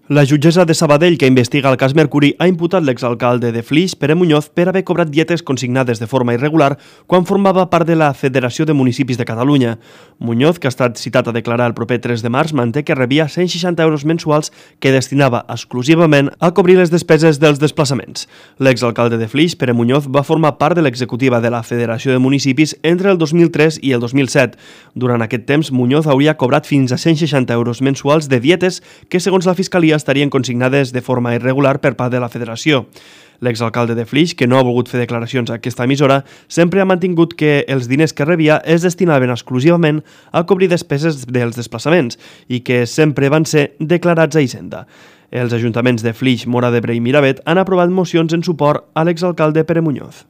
La jutgessa de Sabadell, que investiga el cas Mercuri, ha imputat l'exalcalde de Flix, Pere Muñoz, per haver cobrat dietes consignades de forma irregular quan formava part de la Federació de Municipis de Catalunya. Muñoz, que ha estat citat a declarar el proper 3 de març, manté que rebia 160 euros mensuals que destinava exclusivament a cobrir les despeses dels desplaçaments. L'exalcalde de Flix, Pere Muñoz, va formar part de l'executiva de la Federació de Municipis entre el 2003 i el 2007. Durant aquest temps, Muñoz hauria cobrat fins a 160 euros mensuals de dietes que, segons la Fiscalia, estarien consignades de forma irregular per part de la Federació. L'exalcalde de Flix, que no ha volgut fer declaracions a aquesta emissora, sempre ha mantingut que els diners que rebia es destinaven exclusivament a cobrir despeses dels desplaçaments i que sempre van ser declarats a Hisenda. Els ajuntaments de Flix, Móra d'Ebre i Miravet han aprovat mocions en suport a l'exalcalde Pere Muñoz.